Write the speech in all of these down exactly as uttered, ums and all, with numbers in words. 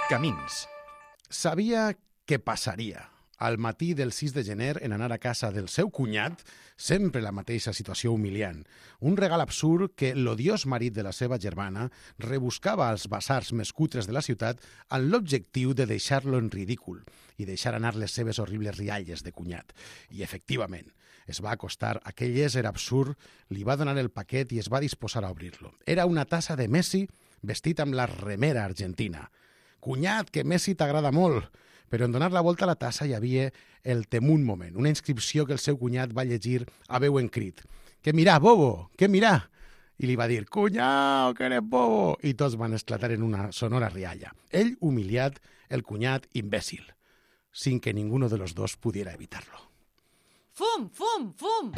Camins. Sabia què passaria al matí del sis de gener en anar a casa del seu cunyat, sempre la mateixa situació humiliant. Un regal absurd que l'odiós marit de la seva germana rebuscava als basars més cutres de la ciutat amb l'objectiu de deixar-lo en ridícul i deixar anar les seves horribles rialles de cunyat. I, efectivament, es va acostar, aquell ésser absurd, li va donar el paquet i es va disposar a obrir-lo. Era una tassa de Messi vestit amb la remera argentina. Cunyat, que Messi t'agrada molt, però en donar la volta a la tassa hi havia el temun moment, una inscripció que el seu cunyat va llegir a veu en crit. «Què mirà, bobo? Què mirà?» I li va dir «Cunyau, que eres bobo!» I tots van esclatar en una sonora rialla. Ell humiliat, el cunyat imbècil, sin que ninguno de los dos pudiera evitarlo. Fum, fum, fum!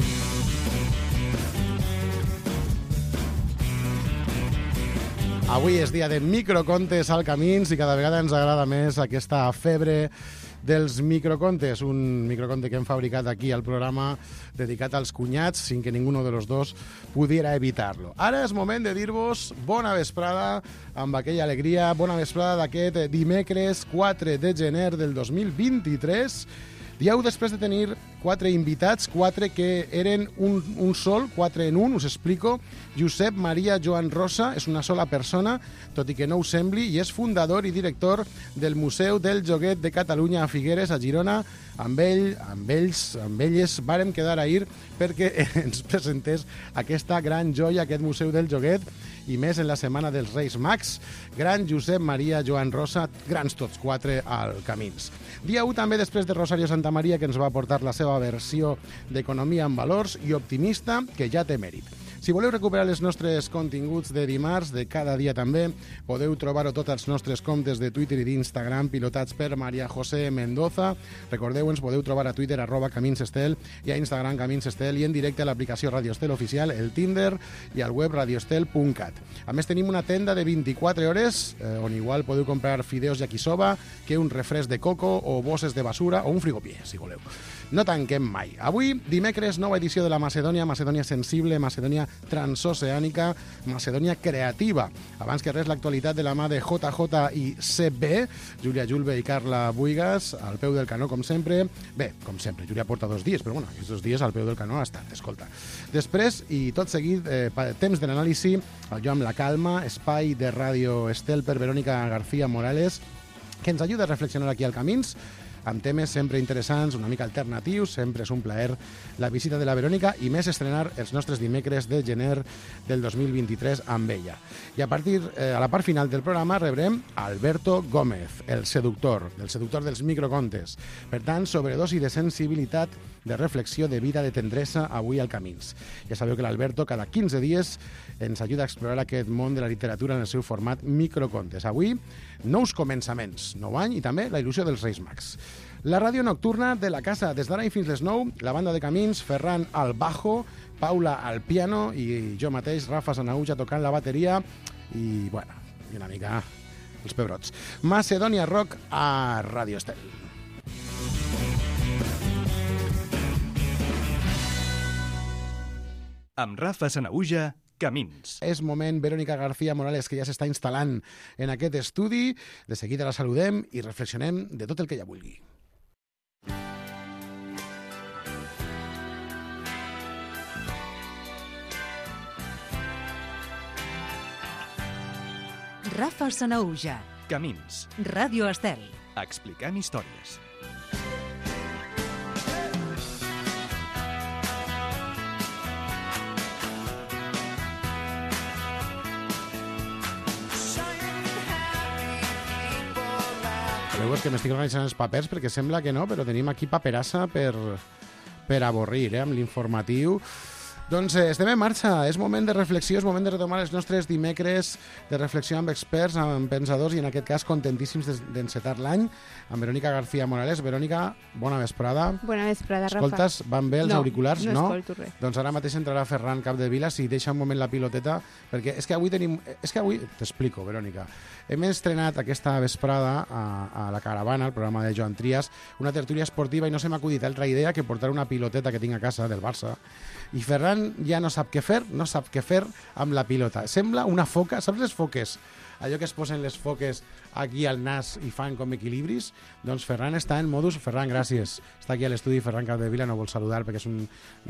Avui és dia de microcontes al Camins i cada vegada ens agrada més aquesta febre dels microcontes, un microconte que hem fabricat aquí al programa dedicat als cunyats sin que ninguno de los dos pudiera evitar-lo. Ara és moment de dir-vos bona vesprada amb aquella alegria, bona vesprada d'aquest dimecres quatre de gener del dos mil vint-i-tres, dieu després de tenir quatre invitats, quatre que eren un, un sol, quatre en un, us explico. Josep Maria Joan Rosa és una sola persona, tot i que no ho sembli, i és fundador i director del Museu del Joguet de Catalunya a Figueres, a Girona. Amb ell, amb ells, amb elles, vàrem quedar ahir perquè ens presentés aquesta gran joia, aquest Museu del Joguet, i més en la Setmana dels Reis Mags. Gran Josep Maria Joan Rosa, grans tots quatre al Camins. Dia u també després de Rosario Santamaria, que ens va aportar la seva versió d'Economia amb valors i optimista, que ja té mèrit. Si voleu recuperar els nostres continguts de dimarts, de cada dia també, podeu trobar-ho tots els nostres comptes de Twitter i d'Instagram, pilotats per Maria José Mendoza. Recordeu, ens podeu trobar a Twitter, arroba Camins Estel, i a Instagram, Camins Estel, i en directe a l'aplicació Radio Estel Oficial, el Tinder i al web radioestel punt cat. A més, tenim una tenda de vint-i-quatre hores, eh, on igual podeu comprar fideos yakisoba, que un refresc de coco o bosses de basura o un frigopié, si voleu. No tanquem mai. Avui, dimecres, nova edició de la Macedònia, Macedònia sensible, Macedònia transoceànica, Macedònia creativa. Abans que res, l'actualitat de la mà de J J i C B, Júlia Julve i Carla Buigas, al peu del canó, com sempre. Bé, com sempre, Júlia porta dos dies, però bueno, aquests dos dies al peu del canó ha estat, escolta. Després, i tot seguit, eh, temps de l'anàlisi, jo amb la calma, espai de Ràdio Estel per Verònica García Morales, que ens ajuda a reflexionar aquí al Camins, amb temes sempre interessants, una mica alternatius. Sempre és un plaer la visita de la Verònica i més estrenar els nostres dimecres de gener del dos mil vint-i-tres amb ella. I a partir, eh, a la part final del programa rebrem Alberto Gómez, el seductor, el seductor dels microcontes. Per tant, sobredosi de sensibilitat, de reflexió, de vida, de tendresa, avui al Camins. Ja sabeu que l'Alberto cada quinze dies ens ajuda a explorar aquest món de la literatura en el seu format microcontes. Avui, nous començaments, nou any i també la il·lusió dels Reis Mags. La ràdio nocturna de la casa, des d'ara i fins les nou, la banda de Camins, Ferran al bajo, Paula al piano i jo mateix, Rafa Sanauja, tocant la bateria i, bueno, i una mica els pebrots. Macedònia Rock a Ràdio Estel. Amb Rafa Sanauja, Camins. És moment, Verònica García Morales, que ja s'està instal·lant en aquest estudi. De seguida la saludem i reflexionem de tot el que ella vulgui. Rafa Sanauja, Camins. Ràdio Estel. Explicant històries. Sabeu que m'estic organitzant els papers perquè sembla que no, però tenim aquí paperassa per, per avorrir, eh, amb l'informatiu. Doncs eh, estem en marxa, és moment de reflexió, és moment de retomar els nostres dimecres de reflexió amb experts, amb pensadors i en aquest cas contentíssims d'encetar l'any amb Verònica García Morales. Verònica, bona vesprada. Bona vesprada, Rafa. Escoltes, van bé els no, auriculars? No, no escolto res. Doncs ara mateix entrarà Ferran Capdevila, si deixa un moment la piloteta, perquè és que avui tenim... És que avui... T'explico, Verònica. Hem estrenat aquesta vesprada a, a la Caravana, el programa de Joan Trias, una tertúlia esportiva i no se m'ha acudit altra idea que portar una piloteta que tinc a casa del Barça. I Ferran ja no sap què fer, no sap què fer amb la pilota. Sembla una foca, saps les foques allò que es posen les foques aquí al nas i fan com equilibris, doncs Ferran està en modus... Ferran, gràcies. Està aquí a l'estudi Ferran Capdevila, no vol saludar perquè és un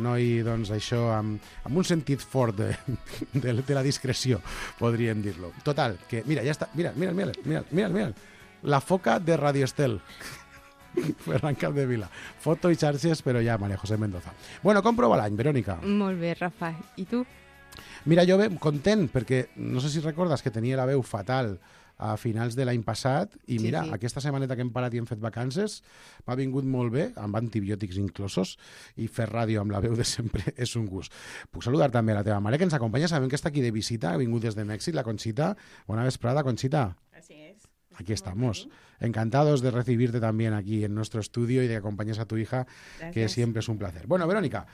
noi, doncs, això, amb, amb un sentit fort de, de, de la discreció, podríem dir-lo. Total, que, mira, ja està, mira, mira, mira, mira, mira, mira, la foca de Radio Estel. Ferran Capdevila. Foto i xarxes, però ja, Maria José Mendoza. Bueno, com prova l'any, Verònica? Molt bé, Rafa. I tu? Mira, jo bé, content, perquè no sé si recordes que tenia la veu fatal a finals de l'any passat i Sí, mira, sí. aquesta setmaneta que hem parat i hem fet vacances m'ha vingut molt bé, amb antibiòtics inclosos, i fer ràdio amb la veu de sempre és un gust. Puc saludar també a la teva mare que ens acompanya, sabem que està aquí de visita, ha vingut des de Mèxic, la Conxita. Bona vesprada, Conxita. Así es. Aquí estamos. Encantados de recibirte también aquí en nuestro estudio y de que acompañes a tu hija, Gracias. que siempre es un placer. Bueno, Verònica,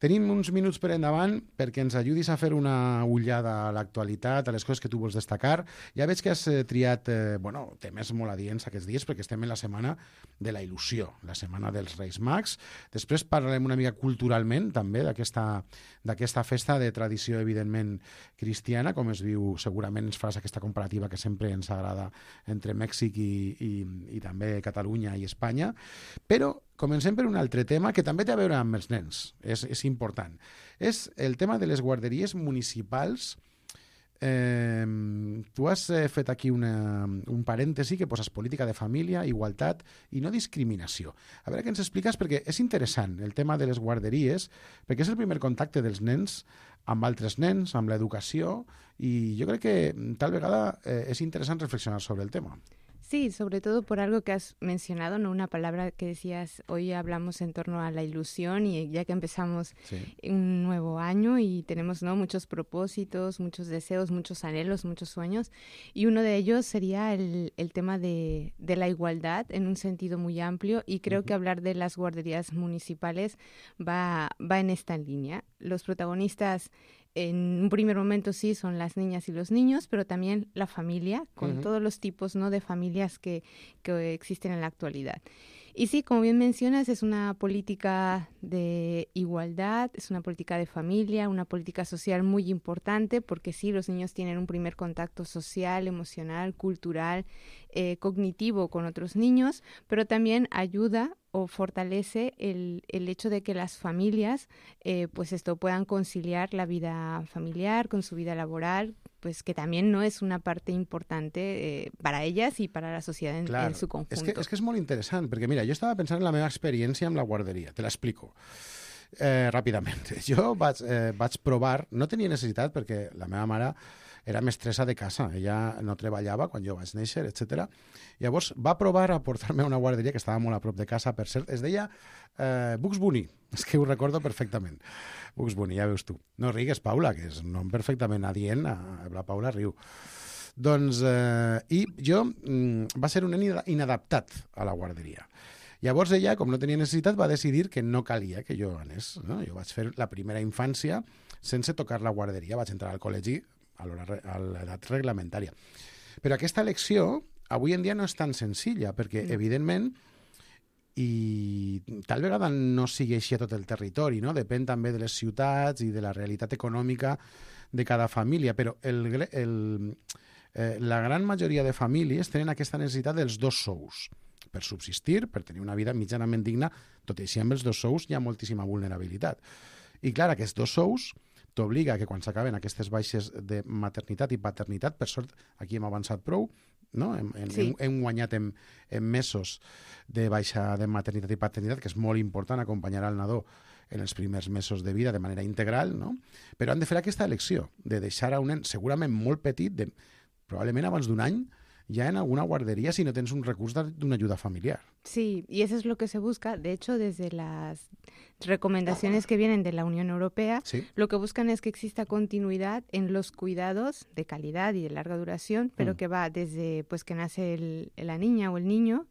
tenim uns minuts per endavant perquè ens ajudis a fer una ullada a l'actualitat, a les coses que tu vols destacar. Ja veig que has eh, triat eh, bueno, temes molt adients aquests dies perquè estem en la setmana de la il·lusió, la setmana dels Reis Mags. Després parlarem una mica culturalment també d'aquesta d'aquesta festa de tradició evidentment cristiana, com es viu, segurament ens faràs aquesta comparativa que sempre ens agrada entre Mèxic i, i, i també Catalunya i Espanya, però comencem per un altre tema que també té a veure amb els nens, és, és important. És el tema de les guarderies municipals. Eh, tu has eh, fet aquí una, un parèntesi que poses política de família, igualtat i no discriminació. A veure què ens expliques, perquè és interessant el tema de les guarderies, perquè és el primer contacte dels nens amb altres nens, amb l'educació, i jo crec que tal vegada eh, és interessant reflexionar sobre el tema. Sí, sobre todo por algo que has mencionado, ¿no? Una palabra que decías, hoy hablamos en torno a la ilusión y ya que empezamos Sí. un nuevo año y tenemos, ¿no?, muchos propósitos, muchos deseos, muchos anhelos, muchos sueños, y uno de ellos sería el, el tema de, de la igualdad en un sentido muy amplio, y creo Ujú. que hablar de las guarderías municipales va, va en esta línea. Los protagonistas en un primer momento sí son las niñas y los niños, pero también la familia, con Ujú. todos los tipos, ¿no?, de familias que, que existen en la actualidad. Y sí, como bien mencionas, es una política de igualdad, es una política de familia, una política social muy importante, porque sí, los niños tienen un primer contacto social, emocional, cultural, eh, cognitivo con otros niños, pero también ayuda o fortalece el, el hecho de que las familias eh, pues esto puedan conciliar la vida familiar con su vida laboral, pues que también no es una parte importante eh, para ellas y para la sociedad en, Clar, en su conjunto. és que, és que és molt interessant, perquè mira, jo estava pensant en la meva experiència amb la guarderia, te l'explico eh, ràpidament. Jo vaig, eh, vaig provar, no tenia necessitat perquè la meva mare era mestressa de casa, ella no treballava quan jo vaig néixer, etcètera. Llavors va provar a portar-me a una guarderia que estava molt a prop de casa, per cert, es deia eh, Bugs Bunny, és que ho recordo perfectament. Bugs Bunny, ja veus tu. No rigues, Paula, que és un nom perfectament adient, la Paula riu. Doncs, eh, i jo mm, va ser un nen inadaptat a la guarderia. Llavors ella, com no tenia necessitat, va decidir que no calia que jo anés. No? Jo vaig fer la primera infància sense tocar la guarderia, vaig entrar al col·legi a l'edat reglamentària. Però aquesta elecció avui en dia no és tan senzilla, perquè, No. evidentment, i tal vegada no sigui així a tot el territori, no? Depèn també de les ciutats i de la realitat econòmica de cada família, però el, gre- el, eh, la gran majoria de famílies tenen aquesta necessitat dels dos sous per subsistir, per tenir una vida mitjanament digna, tot i així amb els dos sous hi ha moltíssima vulnerabilitat. I clar, aquests dos sous t'obliga que quan s'acaben aquestes baixes de maternitat i paternitat, per sort aquí hem avançat prou, no? hem, hem, Sí. hem, hem guanyat en, en mesos de baixa de maternitat i paternitat, que és molt important acompanyar al nadó en els primers mesos de vida de manera integral, no? Però han de fer aquesta elecció de deixar a un nen segurament molt petit, de, probablement abans d'un any, ya en alguna guardería si no tienes un recurso de una ayuda familiar. Sí, y eso es lo que se busca. De hecho, desde las recomendaciones que vienen de la Unión Europea, Sí. lo que buscan es que exista continuidad en los cuidados de calidad y de larga duración, pero Mm. que va desde pues que nace el- la niña o el niño,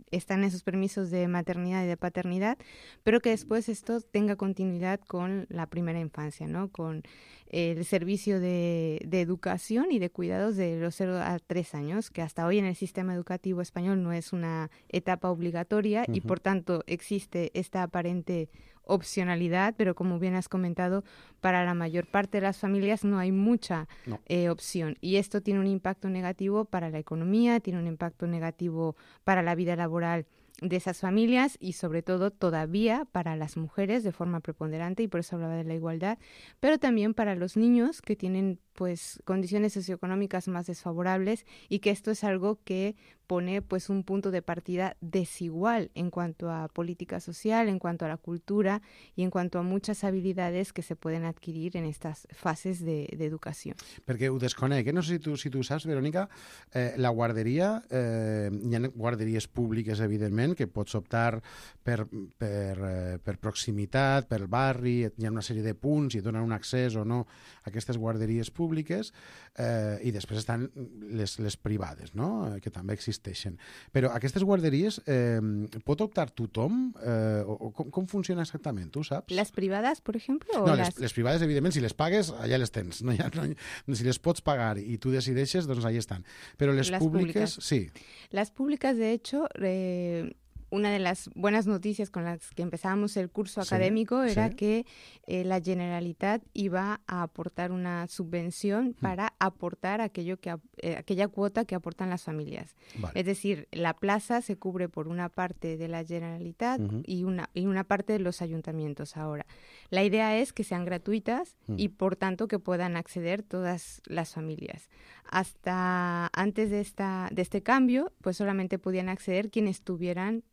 están esos permisos de maternidad y de paternidad, pero que después esto tenga continuidad con la primera infancia, ¿no? Con el servicio de, de educación y de cuidados de los cero a tres años, que hasta hoy en el sistema educativo español no es una etapa obligatoria y Ujú. por tanto existe esta aparente opcionalidad, pero como bien has comentado, para la mayor parte de las familias no hay mucha No. eh, opción. Y esto tiene un impacto negativo para la economía, tiene un impacto negativo para la vida laboral de esas familias y sobre todo todavía para las mujeres de forma preponderante, y por eso hablaba de la igualdad, pero también para los niños que tienen pues condiciones socioeconómicas más desfavorables, y que esto es algo que pone pues un punto de partida desigual en cuanto a política social, en cuanto a la cultura y en cuanto a muchas habilidades que se pueden adquirir en estas fases de, de educación. Perquè ho desconec, eh? No sé si tu, si tu saps, Verònica, eh, la guarderia, eh, hi ha guarderies públiques, evidentment, que pots optar per, per, eh, per proximitat, per barri, hi ha una sèrie de punts i et donen un accés o no a aquestes guarderies públiques, eh, i després estan les, les privades, no?, que també existeixen. Però aquestes guarderies eh, pot optar tothom? Eh, o, o com, com funciona exactament? Tu saps? ¿Las privadas, por ejemplo? O No, las... les, les privades, evidentment, si les pagues, allà les tens. No hi ha, no hi ha, si les pots pagar i tu decideixes, doncs allà estan. Però les Las públiques, públicas. sí. Las públicas, de hecho, eh, una de las buenas noticias con las que empezábamos el curso Sí, académico era sí. que eh, la Generalitat iba a aportar una subvención para aportar aquello que, ap- eh, aquella cuota que aportan las familias. Vale. Es decir, la plaza se cubre por una parte de la Generalitat Ujú. y, una, y una parte de los ayuntamientos ahora. La idea es que sean gratuitas Mm. y, por tanto, que puedan acceder todas las familias. Hasta antes de, esta, de este cambio, pues solamente podían acceder quienes tuvieran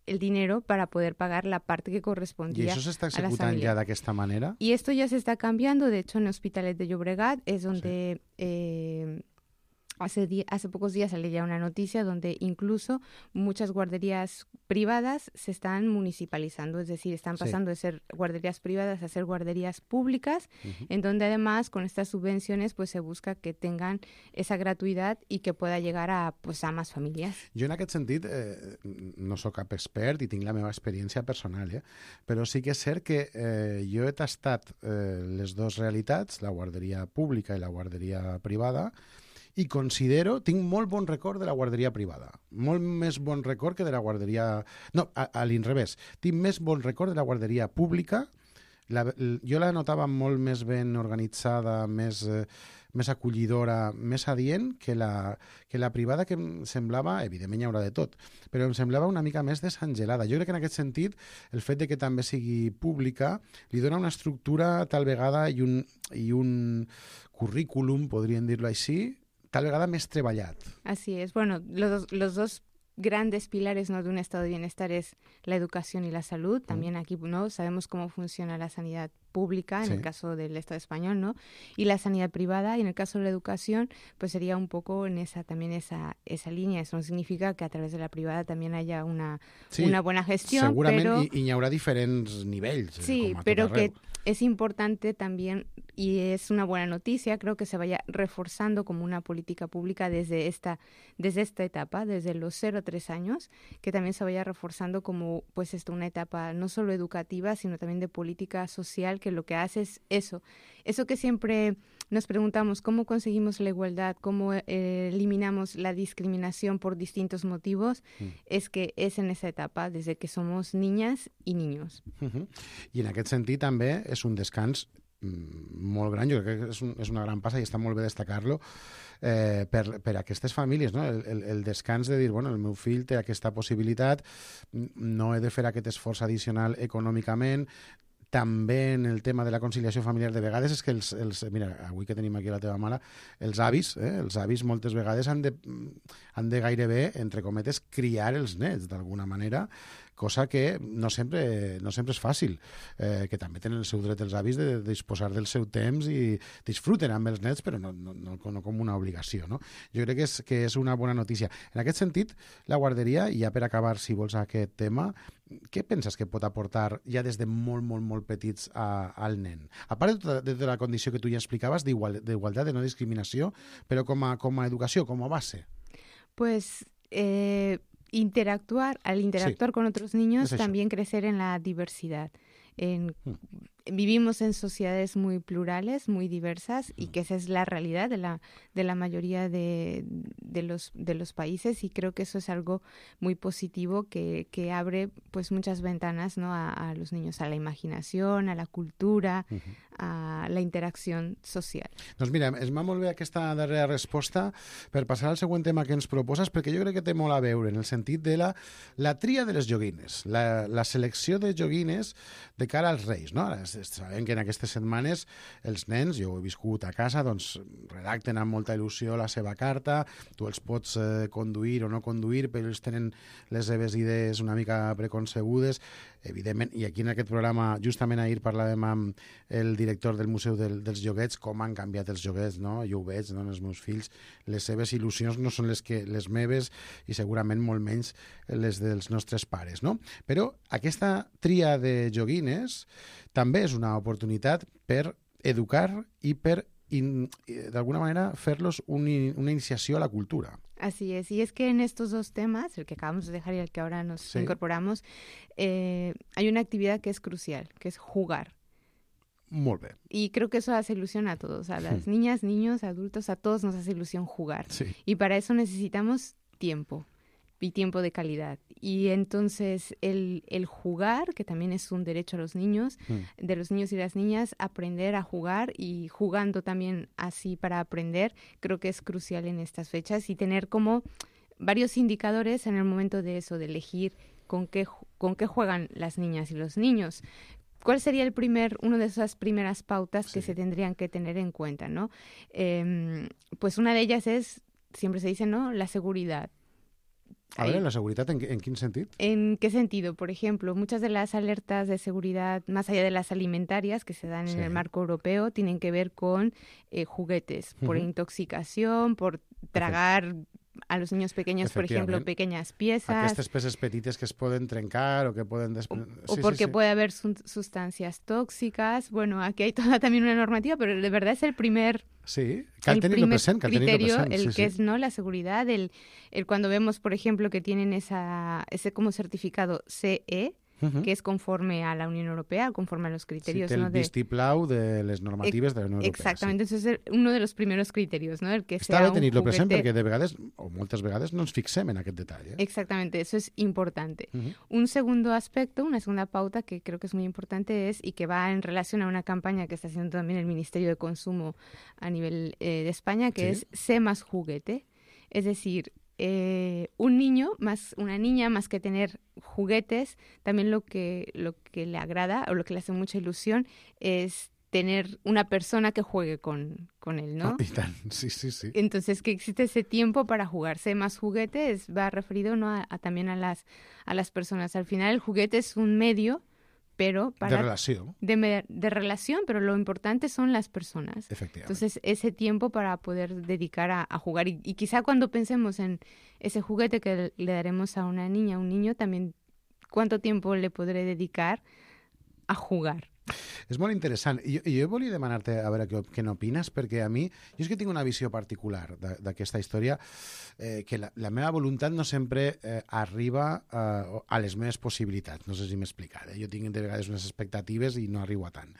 el dinero para poder pagar la parte que I correspondía això s'està a las executant familias. ja d'aquesta manera? Y esto ya se está cambiando. De hecho, en Hospitalet de Llobregat es donde eh, hace, di- hace pocos días salió ya una noticia donde incluso muchas guarderías privadas se están municipalizando, es decir, están Sí. pasando de ser guarderías privadas a ser guarderías públicas, Uh-huh. en donde además con estas subvenciones pues se busca que tengan esa gratuidad y que pueda llegar a pues a más familias. Jo en aquest sentit eh, no sóc cap expert i tinc la meva experiència personal, eh? Però sí que és cert que eh, jo he tastat eh, les dues realitats, la guarderia pública i la guarderia privada, i considero, tinc molt bon record de la guarderia privada, molt més bon record que de la guarderia... No, a, a l'inrevés, tinc més bon record de la guarderia pública. La, l- jo la notava molt més ben organitzada, més, eh, més acollidora, més adient que la, que la privada, que em semblava, evidentment hi haurà de tot, però em semblava una mica més desangelada. Jo crec que en aquest sentit el fet de que també sigui pública li dona una estructura tal vegada i un, i un currículum, podríem dir-lo així, tal vegada més treballat. Así es. Bueno, los, dos- los dos grandes pilares, ¿no?, de un estado de bienestar es la educación y la salud. También aquí, ¿no?, sabemos cómo funciona la sanidad pública en Sí. el caso del Estado español, ¿no?, y la sanidad privada, y en el caso de la educación pues sería un poco en esa también esa esa línea. Eso no significa que a través de la privada también haya una, Sí, una buena gestión, segurament pero i, i hi haurà diferents nivells, eh, sí, com a tot pero arreu. que es importante también, y es una buena noticia, creo que se vaya reforzando como una política pública desde esta, desde esta etapa, desde los cero a tres años, que también se vaya reforzando como pues esto, una etapa no solo educativa, sino también de política social, que lo que hace es eso, eso que siempre nos preguntamos, ¿cómo conseguimos la igualdad? ¿Cómo eh, eliminamos la discriminación por distintos motivos? Mm. Es que es en esa etapa, desde que somos niñas y niños. Uh -huh. I en aquest sentit també és un descans mm, molt gran, jo crec que és, un, és una gran passa i està molt bé destacar-lo eh, per, per aquestes famílies, no? el, el, el descans de dir, bueno, el meu fill té aquesta possibilitat, no he de fer aquest esforç addicional econòmicament. També en el tema de la conciliació familiar, de vegades és que els, els mira, avui que tenim aquí la teva mare, els avis, eh, els avis moltes vegades han de, han de gairebé, entre cometes, criar els nets d'alguna manera, cosa que no sempre, no sempre és fàcil, eh, que també tenen el seu dret els avis de, de disposar del seu temps i disfruten amb els nets, però no, no, no, no com una obligació, no? Jo crec que és, que és una bona notícia. En aquest sentit, la guarderia, i ja per acabar, si vols, aquest tema, què penses que pot aportar ja des de molt, molt, molt petits a, al nen? A part de tota, de tota la condició que tu ja explicaves d'igual, d'igualtat, de no discriminació, però com a, com a educació, com a base? Pues eh, interactuar, al interactuar Sí, con otros niños, es eso. también crecer en la diversidad, en, Mm. vivimos en sociedades muy plurales, muy diversas, y que esa es la realidad de la, de la mayoría de, de, los, de los países, y creo que eso es algo muy positivo que, que abre pues muchas ventanas, ¿no? a, a los niños, a la imaginación, a la cultura, uh-huh. a la interacció social. Doncs mira, es m'ha molt bé aquesta darrera resposta per passar al següent tema que ens proposes, perquè jo crec que té molt a veure en el sentit de la, la tria de les joguines, la, la selecció de joguines de cara als Reis, no? Ara sabem que en aquestes setmanes els nens, jo ho he viscut a casa, doncs redacten amb molta il·lusió la seva carta, tu els pots eh, conduir o no conduir, però ells tenen les seves idees una mica preconcebudes, evidentment, i aquí en aquest programa justament ahir parlàvem amb el director del Museu del, dels Joguets, com han canviat els joguets, no? Jo ho veig, no? Els meus fills, les seves il·lusions no són les, que, les meves i segurament molt menys les dels nostres pares, no? Però aquesta tria de joguines també és una oportunitat per educar i per, d'alguna manera, fer-los un, una iniciació a la cultura. Así es, y es que en estos dos temas, el que acabamos de dejar y el que ahora nos sí. incorporamos, eh, hay una actividad que es crucial, que es jugar. Molt bé. Y creo que eso hace ilusión a todos, a las niñas, niños, adultos, a todos nos hace ilusión jugar. Sí. Y para eso necesitamos tiempo. Y tiempo de calidad. Y entonces el, el jugar, que también es un derecho a los niños, mm. de los niños y las niñas, aprender a jugar y jugando también así para aprender, creo que es crucial en estas fechas y tener como varios indicadores en el momento de eso, de elegir con qué, con qué juegan las niñas y los niños. ¿Cuál sería el primer, uno de esas primeras pautas sí. que se tendrían que tener en cuenta, ¿no? Eh, pues una de ellas es, siempre se dice, ¿no? La seguridad. A ver, ¿la seguridad en, en qué sentido? ¿En qué sentido? Por ejemplo, muchas de las alertas de seguridad, más allá de las alimentarias que se dan sí. en el marco europeo, tienen que ver con eh, juguetes, por uh-huh. intoxicación, por tragar a los niños pequeños, por ejemplo, pequeñas piezas. Aquestes peces petites que es poden trencar o que poden... Des... O, sí, o porque sí, sí. puede haber su- sustancias tóxicas. Bueno, aquí hay toda también una normativa, pero de verdad es el primer... Sí, cal tenir-lo present, cal tenir-lo criterio, present. el sí, que sí. es no la seguridad, el, el cuando vemos, por ejemplo, que tienen esa ese como certificado C E, uh-huh. que es conforme a la Unión Europea, conforme a los criterios, sí, té el ¿no? de vistiplau de les normatives de la Unión Europea. Exactamente, sí. ese es uno de los primeros criterios, ¿no? El que Està sea bé tenir-lo un juguete... present perquè de vegades, o moltes vegades, no ens fixem en aquest detall. Eh? Exactamente, eso es importante. Uh-huh. Un segundo aspecto, una segunda pauta que creo que es muy importante es, y que va en relación a una campaña que está haciendo también el Ministerio de Consumo a nivel eh, de España, que sí. es sé más juguete. Es decir, eh, un niño, más una niña, más que tener juguetes, también lo que, lo que le agrada o lo que le hace mucha ilusión es tener una persona que juegue con, con él, ¿no? Oh, y tan, sí, sí, sí. Entonces, que existe ese tiempo para jugarse más juguetes, va referido, ¿no? a, a también a las, a las personas. Al final el juguete es un medio, pero para... De relación. De, de relación, pero lo importante son las personas. Efectivamente. Entonces, ese tiempo para poder dedicar a, a jugar. Y, y quizá cuando pensemos en ese juguete que le daremos a una niña, a un niño, también cuánto tiempo le podré dedicar a jugar. És molt interessant. I jo, jo volia demanar-te a veure què, què n'opines, perquè a mi, jo és que tinc una visió particular d'aquesta història, eh, que la, la meva voluntat no sempre eh, arriba eh, a les meves possibilitats. No sé si m'he explicat. Eh? Jo tinc de vegades unes expectatives i no arribo a tant.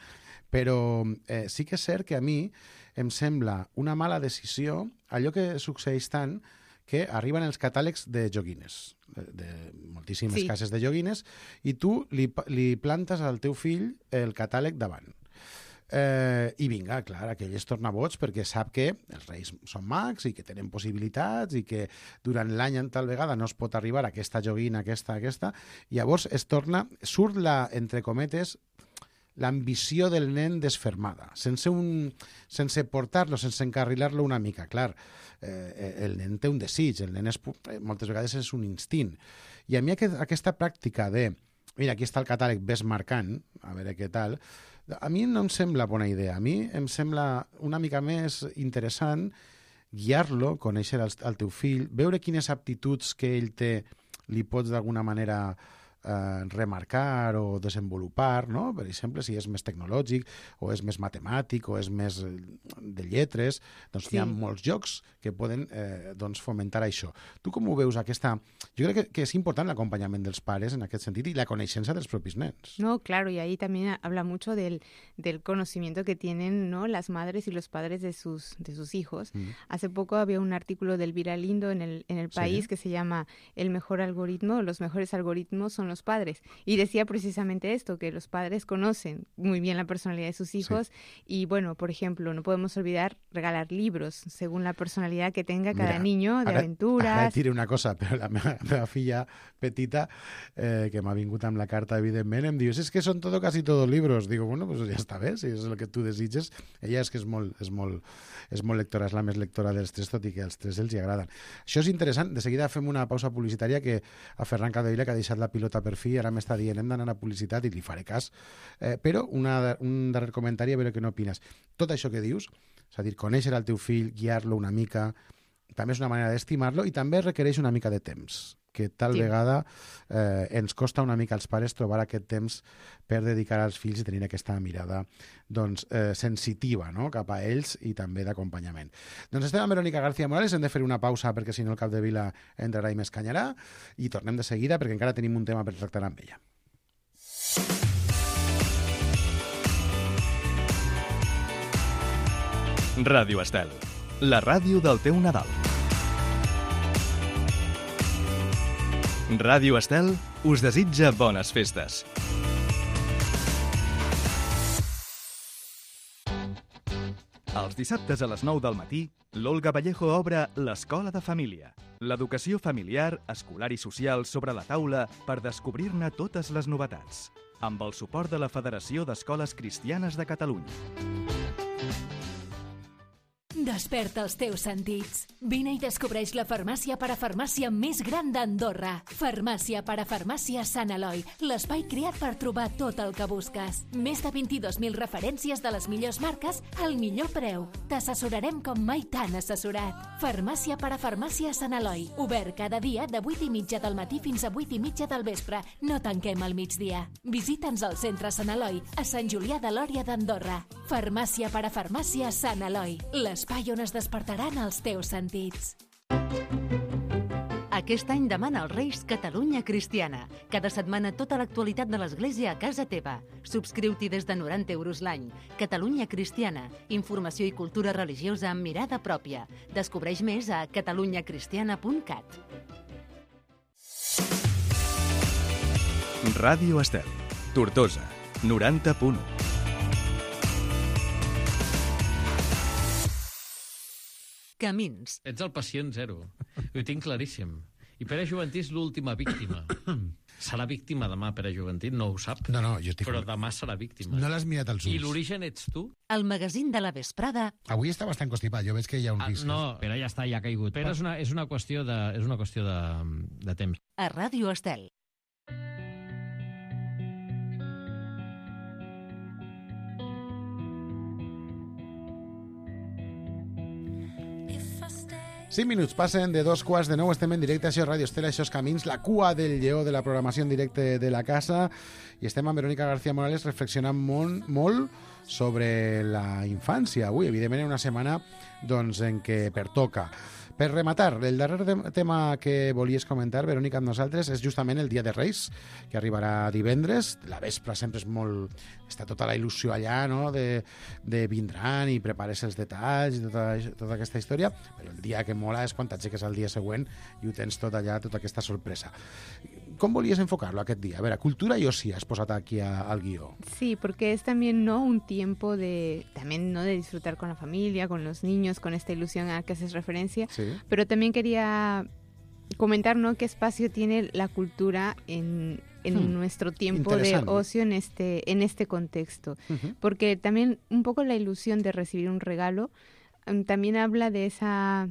Però eh, sí que és cert que a mi em sembla una mala decisió allò que succeeix tant que arriben els catàlegs de joguines, de, de moltíssimes sí. cases de joguines, i tu li, li plantes al teu fill el catàleg davant. Eh, I vinga, clar, aquell es torna boig perquè sap que els reis són mags i que tenen possibilitats i que durant l'any en tal vegada no es pot arribar a aquesta joguina, aquesta, aquesta, i llavors es torna, surt la, entre cometes, l'ambició del nen desfermada, sense, un, sense portar-lo, sense encarrilar-lo una mica. Clar, eh, el nen té un desig, el nen és, moltes vegades és un instint. I a mi aquest, aquesta pràctica de, mira, aquí està el catàleg, ves marcant, a veure què tal, a mi no em sembla bona idea. A mi em sembla una mica més interessant guiar-lo, conèixer el, el teu fill, veure quines aptituds que ell té li pots d'alguna manera eh, remarcar o desenvolupar, no? Per exemple, si és més tecnològic o és més matemàtic o és més de lletres, doncs sí. Hi ha molts jocs que poden eh, doncs fomentar això. Tu com ho veus aquesta... Jo crec que, que és important l'acompanyament dels pares en aquest sentit i la coneixença dels propis nens. No, claro, y ahí también habla mucho del, del conocimiento que tienen, ¿no?, las madres y los padres de sus, de sus hijos. Mm. Hace poco había un artículo del Elvira Lindo en el, en el país ¿Sí? que se llama El mejor algoritmo, los mejores algoritmos son los padres. Y decía precisamente esto, que los padres conocen muy bien la personalidad de sus hijos sí. y, bueno, por ejemplo, no podemos olvidar regalar libros según la personalidad que tenga cada Mira, niño, de ara, aventuras... Ara et diré una cosa, però la meva, la meva filla petita, eh, que m'ha vingut amb la carta, evidentment, em diu, és que són todo, casi todos libros. Digo, bueno, pues ja està bé, si és el que tu desitges. Ella és que és molt, és molt, és molt lectora, és la més lectora dels tres, tot i que als tres els hi agraden. Això és interessant. De seguida fem una pausa publicitària que a Ferran Capdevila, que ha deixat la pilota per fi, ara m'està dient, hem d'anar a publicitat i li faré cas. Eh, però una, un darrer comentari, a veure què n'opines. Tot això que dius, és a dir, conèixer el teu fill, guiar-lo una mica, també és una manera d'estimar-lo i també requereix una mica de temps, que tal sí. vegada eh, ens costa una mica als pares trobar aquest temps per dedicar als fills i tenir aquesta mirada doncs, eh, sensitiva, no?, cap a ells i també d'acompanyament. Doncs estem amb Verónica García Morales, hem de fer una pausa perquè si no el Capdevila entrarà i m'escanyarà i tornem de seguida perquè encara tenim un tema per tractar amb ella. Ràdio Estel, la ràdio del teu Nadal. Ràdio Estel us desitja bones festes. Els dissabtes a les nou del matí, l'Olga Vallejo obre l'Escola de Família. L'educació familiar, escolar i social sobre la taula per descobrir-ne totes les novetats. Amb el suport de la Federació d'Escoles Cristianes de Catalunya. Desperta els teus sentits. Vine i descobreix la farmàcia parafarmàcia més gran d'Andorra. Farmàcia parafarmàcia Sant Eloi, l'espai creat per trobar tot el que busques. Més de vint-i-dos mil referències de les millors marques al millor preu. T'assessorarem com mai t'han assessorat. Farmàcia parafarmàcia Sant Eloi, obert cada dia de vuit i mitja del matí fins a vuit i mitja del vespre. No tanquem al migdia. Visita'ns al centre Sant Eloi, a Sant Julià de Lòria d'Andorra. Farmàcia parafarmàcia Sant Eloi, l'espai on es despertaran els teus sentits. Aquest any demana als Reis Catalunya Cristiana. Cada setmana tota l'actualitat de l'Església a casa teva. Subscriu-t'hi des de noranta euros l'any. Catalunya Cristiana. Informació i cultura religiosa amb mirada pròpia. Descobreix més a catalunya cristiana punt cat. Ràdio Estel, Tortosa, noranta punt u. Camins. Ets el pacient zero. Ho tinc claríssim. I Pere Juventí és l'última víctima. Serà víctima demà, Pere Juventí, no ho sap. No, no, jo estic... Però demà serà víctima. No l'has mirat als ulls. I l'origen ets tu? El magazín de la vesprada. Avui està bastant constipat, jo veig que hi ha un ah, risc. No, Pere ja està, ja ha caigut. Pere és una, és una qüestió, de, és una qüestió de, de temps. A Ràdio Estel. cinc minuts passen de dos quarts de nou, estem en directe, això és Ràdio Estel, això és Camins, la cua del lleó de la programació en directe de la casa, i estem amb Verónica García Morales reflexionant molt, molt sobre la infància. Avui, evidentment, una setmana doncs, en què pertoca. Per rematar, el darrer tema que volies comentar, Verónica, amb nosaltres, és justament el Dia de Reis, que arribarà divendres. La vespre sempre és molt... Està tota la il·lusió allà, no?, de, de vindran i prepares els detalls i tota, tota aquesta història, però el dia que mola és quan t'aixeques al dia següent i ho tens tot allà, tota aquesta sorpresa. Com volies enfocar-lo aquest dia? A veure, cultura y oci has posat aquí a, al guió. Sí, porque es también, ¿no?, un tiempo de, también, ¿no?, de disfrutar con la familia, con los niños, con esta ilusión a la que haces referencia. Sí. Pero también quería comentar, ¿no?, qué espacio tiene la cultura en, en hmm. nuestro tiempo de ocio en este, en este contexto. Uh-huh. Porque también un poco la ilusión de recibir un regalo um, también habla de esa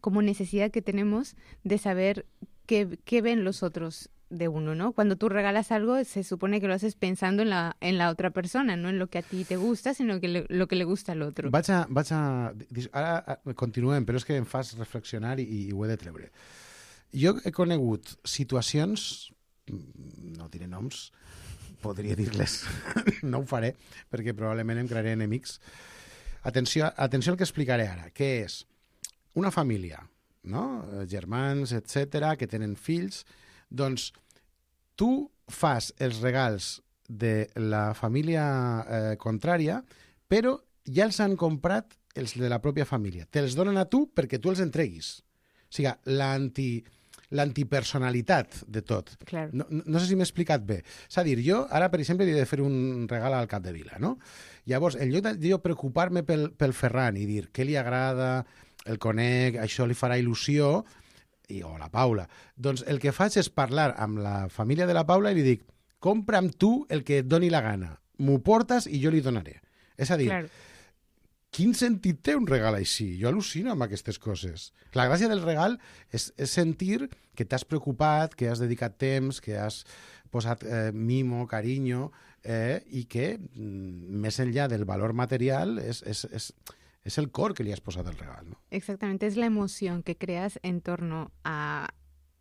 como necesidad que tenemos de saber qué, qué ven los otros de uno, ¿no? Cuando tú regalas algo, se supone que lo haces pensando en la, en la otra persona, no en lo que a ti te gusta, sino que le, lo que le gusta al otro. Vaig a, vaig a... Ara continuem, però és que em fas reflexionar i, i ho he de treure. Jo he conegut situacions no diré noms, podria dir-les, no ho faré, perquè probablement em crearé enemics. Atenció, atenció al que explicaré ara, que és una família, no? Germans, etcètera, que tenen fills, doncs tu fas els regals de la família eh, contrària, però ja els han comprat els de la pròpia família. Te'ls donen a tu perquè tu els entreguis. O sigui, l'anti... l'antipersonalitat de tot. Claro. No, no, no sé si m'he explicat bé. És a dir, jo ara, per exemple, he de fer un regal al Capdevila, no? Llavors, en lloc de jo preocupar-me pel, pel Ferran i dir què li agrada, el conec, això li farà il·lusió, i, o la Paula, doncs el que faig és parlar amb la família de la Paula i li dic, compra'm tu el que et doni la gana, m'ho portes i jo li donaré. És a dir, claro. Quin sentit té un regal així? Jo al·lucino amb aquestes coses. La gràcia del regal és, és sentir que t'has preocupat, que has dedicat temps, que has posat eh, mimo, carinyo, eh, i que, mm, més enllà del valor material, és, és, és, és el cor que li has posat al regal, ¿no? Exactamente, es la emoción que creas en torno a,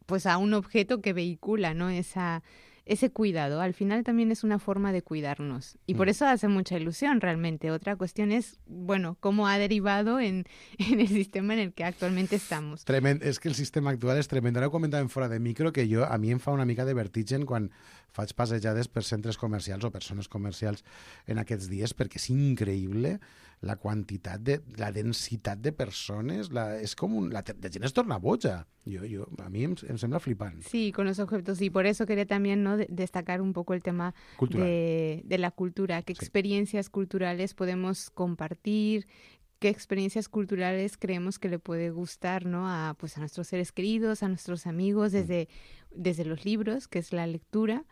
pues a un objeto que vehicula, ¿no? Esa... ese cuidado, al final también es una forma de cuidarnos y por eso hace mucha ilusión realmente. Otra cuestión es, bueno, cómo ha derivado en, en el sistema en el que actualmente estamos. Tremend, és que el sistema actual és tremend. Ara ho comentàvem fora de micro, que jo, a mi em fa una mica de vertigen quan faig passejades per centres comercials o per zones comercials en aquests dies, perquè és increïble la quantitat, de, la densitat de persones, la, és com un, la, la gent es torna boja. Yo, yo, a mí em, em sembla flipant. Sí, con los objetos, y por eso quería también, ¿no?, de, destacar un poco el tema de, de la cultura, qué sí. experiencias culturales podemos compartir, qué experiencias culturales creemos que le puede gustar, ¿no?, a, pues, a nuestros seres queridos, a nuestros amigos, desde, mm. desde los libros, que es la lectura,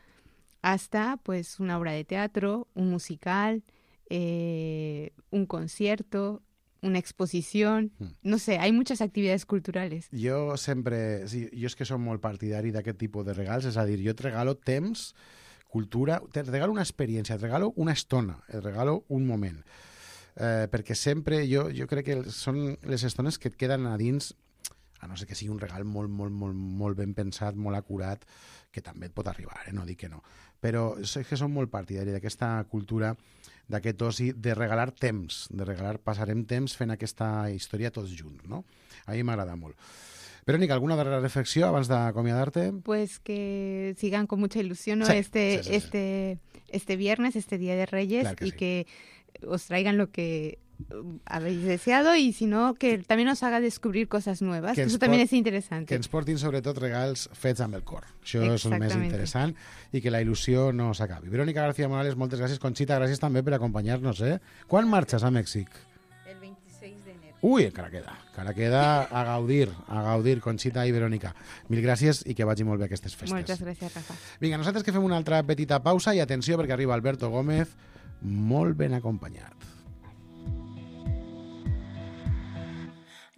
hasta pues una obra de teatro, un musical, eh, un concierto, una exposición, no sé, hay muchas actividades culturales. Jo sempre, sí, jo és que som molt partidari d'aquest tipus de regals, és a dir, jo et regalo temps, cultura, te regalo una experiència, et regalo una estona, et regalo un moment, eh, perquè sempre jo, jo crec que són les estones que et queden a dins, a no ser que sigui un regal molt, molt, molt, molt ben pensat, molt acurat, que també et pot arribar, eh? No dic que no. Però és que som molt partidari d'aquesta cultura, d'aquest oci, de regalar temps, de regalar, passarem temps fent aquesta història tots junts, no? A mi m'agrada molt. Verónica, ¿alguna darrera reflexión abans d'acomiadar-te? Pues que sigan con mucha ilusión, ¿no? Sí, este, sí, sí, este, este viernes, este Día de Reyes, claro que y sí. que os traigan lo que habéis deseado, y si no, que también os haga descubrir cosas nuevas, que, que eso también es interesante. Que ens portin sobretot regals fets amb el cor. Això és el més interessant, i que la il·lusió no s'acabi. Verónica García Morales, moltes gràcies. Conxita, gràcies també per acompanyar-nos, eh? Quan marxes a Mèxic? El veintiséis de enero. Ui, encara queda. Encara queda a gaudir, a gaudir, Conxita i Verónica. Mil gràcies i que vagi molt bé aquestes festes. Moltes gràcies, Rafa. Vinga, nosaltres que fem una altra petita pausa, i atenció perquè arriba Alberto Gómez, molt ben acompanyat.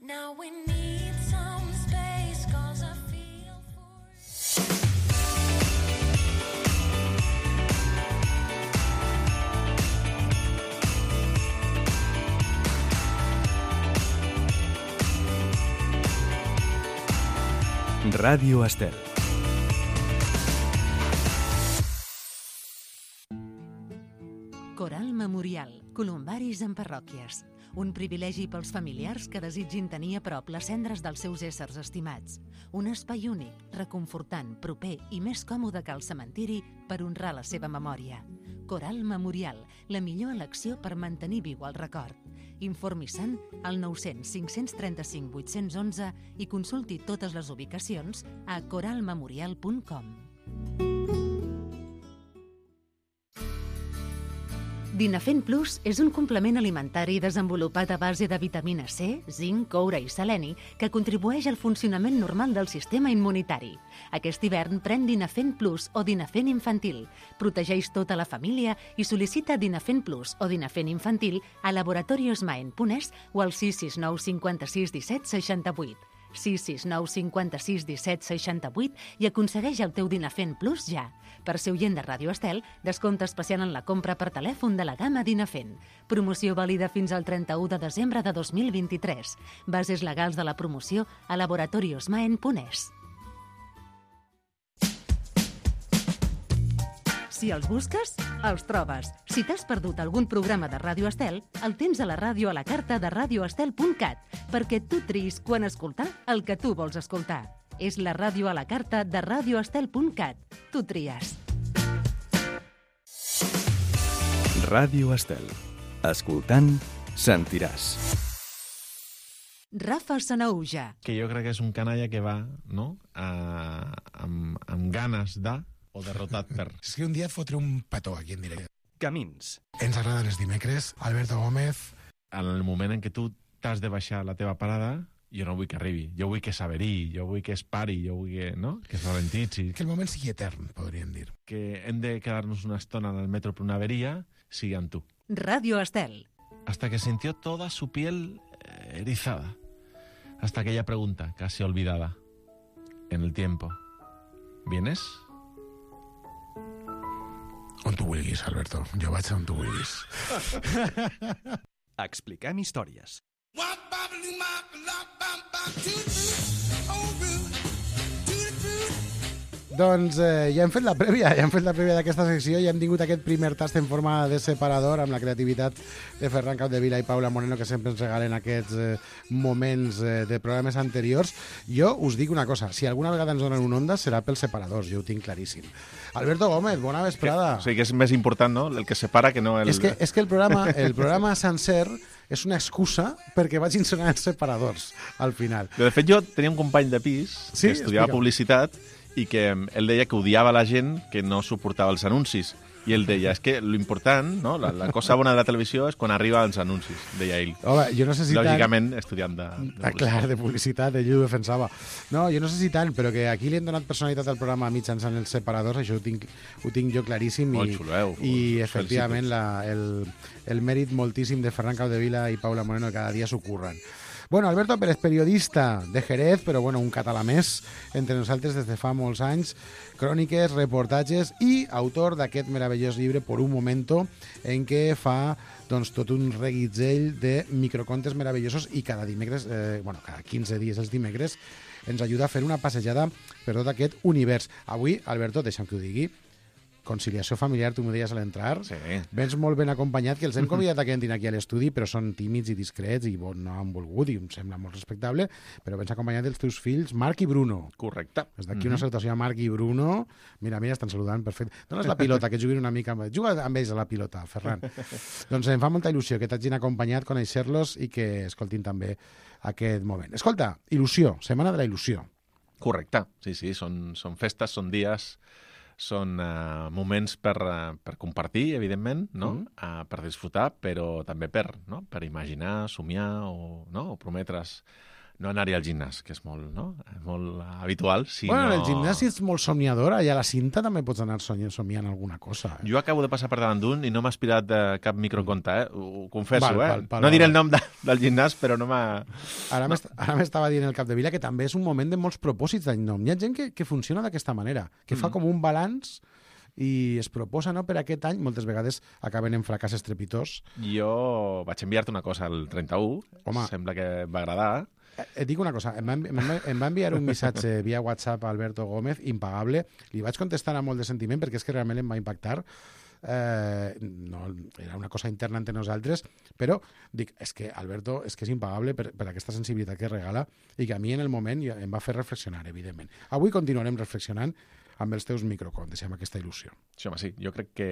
Now we need some space, 'cause I feel for Ràdio Estel. Coral Memorial, columbaris en parròquies. Un privilegi pels familiars que desitgin tenir a prop les cendres dels seus éssers estimats. Un espai únic, reconfortant, proper i més còmode que el cementiri per honrar la seva memòria. Coral Memorial, la millor elecció per mantenir viu el record. Informi-se'n al nou cents cinc cents trenta-cinc vuit-cents onze i consulti totes les ubicacions a coral memorial punt com. Dinafen Plus és un complement alimentari desenvolupat a base de vitamina C, zinc, coure i seleni que contribueix al funcionament normal del sistema immunitari. Aquest hivern pren Dinafen Plus o Dinafen Infantil. Protegeix tota la família i sol·licita Dinafen Plus o Dinafen Infantil a laboratoriosmaen punt es o al sis sis nou cinquanta-sis disset seixanta-vuit. sis sis nou cinquanta-sis disset seixanta-vuit i aconsegueix el teu Dinafen Plus ja. Per ser oient de Ràdio Estel, descompte especial en la compra per telèfon de la gamma Dinafen. Promoció vàlida fins al trenta-u de desembre de dos mil vint-i-tres. Bases legals de la promoció a laboratoriosmaen punt es. Si els busques, els trobes. Si t'has perdut algun programa de Ràdio Estel, el tens a la ràdio a la carta de radio estel punt cat, perquè tu triïs quan escoltar el que tu vols escoltar. És la ràdio a la carta de radio estel punt cat. Tu tries. Ràdio Estel. Escoltant, sentiràs. Rafa Sanauja. Que jo crec que és un canalla que va, no?, a, amb, amb ganes de, o derrotat per... És que un dia et fotré un petó aquí en directe. Camins. Ens agraden els dimecres. Alberto Gómez. En el moment en què tu t'has de baixar a la teva parada, jo no vull que arribi. Jo vull que s'averi, jo vull que es pari, jo vull que, no?, que es ralentitzi. Que el moment sigui etern, podríem dir. Que hem de quedar-nos una estona en el metro per una averia, sigui amb tu. Ràdio Estel. Hasta que sintió toda su piel eh, erizada. Hasta aquella pregunta, casi olvidada. En el tiempo. ¿Vienes? On tu vulguis, Alberto. Jo vaig on tu vulguis. Expliquem històries. Doncs eh, ja hem fet la prèvia, ja hem fet la prèvia d'aquesta secció, ja hem tingut aquest primer tast en forma de separador amb la creativitat de Ferran Capdevila i Paula Moreno, que sempre ens regalen aquests eh, moments eh, de programes anteriors. Jo us dic una cosa, si alguna vegada ens donen un onda serà pels separadors, jo ho tinc claríssim. Alberto Gómez, bona vesprada. O sigui que és més important, no?, el que separa que no el... És que, és que el programa, el programa sencer és una excusa perquè vagin sonar els separadors al final. De fet, jo tenia un company de pis Sí? que estudiava Explica'm. publicitat i que ell deia que odiava la gent que no suportava els anuncis. I ell deia, és que l'important, no?, la, la cosa bona de la televisió és quan arriba als anuncis, deia ell. Home, jo no sé si tant... Lògicament, estudiant de, de Ah, clar, de publicitat, ell ho defensava. No, jo no sé si tant, però que aquí li han donat personalitat al programa mitjançant els separadors, això ho tinc, ho tinc jo claríssim. Molt I, xulo, eh? i Us efectivament felicito. la, el, el mèrit moltíssim de Ferran Capdevila i Paula Moreno, que cada dia s'ho curren. Bueno, Alberto Pérez, periodista de Jerez, però bueno, un català més entre nosaltres des de fa molts anys, cròniques, reportatges i autor d'aquest meravellós llibre Por un momento, en què fa doncs, tot un reguitzell de microcontes meravellosos i cada dimecres, eh, bueno, cada quinze dies els dimecres, ens ajuda a fer una passejada per tot aquest univers. Avui, Alberto, deixa'm que ho digui, conciliació familiar, tu m'ho deies a l'entrar. Sí. Vens molt ben acompanyat, que els hem convidat a que entrin aquí a l'estudi, però són tímids i discrets i bon, no han volgut, i em sembla molt respectable, però vens acompanyat dels teus fills, Marc i Bruno. Correcte. Des d'aquí una salutació a Marc i Bruno. Mira, mira, estan saludant, perfecte. Dones la pilota, que juguin una mica amb... Juga amb ells a la pilota, Ferran. Doncs em fa molta il·lusió que t'hagin acompanyat, conèixer-los i que escoltin també aquest moment. Escolta, il·lusió, Setmana de la Il·lusió. Correcte. Sí, sí, són, són festes, són dies, són uh, moments per, uh, per compartir, evidentment, no? Mm. Uh, per disfrutar, però també per, no?, per imaginar, somiar o, no?, o prometre's no anar-hi al gimnàs, que és molt, no?, molt habitual. Si Bueno, no... el gimnàs és molt somiadora i a la cinta també pots anar somiant, somiant alguna cosa. Eh? Jo acabo de passar per davant d'un i no m'ha aspirat de cap microconte, eh? Ho confesso, Val, eh? val, val, no diré val. el nom de, del gimnàs, però no m'ha... Ara m'est- ara m'estava dient el Capdevila que també és un moment de molts propòsits d'any nou. Hi ha gent que, que funciona d'aquesta manera, que fa Mm. com un balanç i es proposa, no?, per aquest any, moltes vegades acaben en fracàs estrepitós. Jo vaig enviar-te una cosa el trenta-u, Home. sembla que et va agradar. Eh, Et dic una cosa, em va, envi- em va, em va enviar un missatge via WhatsApp a Alberto Gómez, impagable. Li vaig contestar amb molt de sentiment perquè és que realment em va impactar. Eh, no, era una cosa interna entre nosaltres, però dic, és que Alberto és que és impagable per, per aquesta sensibilitat que regala i que a mi en el moment ja em va fer reflexionar, evidentment. Avui continuarem reflexionant amb els teus microcontes i amb aquesta il·lusió. Sí, home, sí. Jo crec que,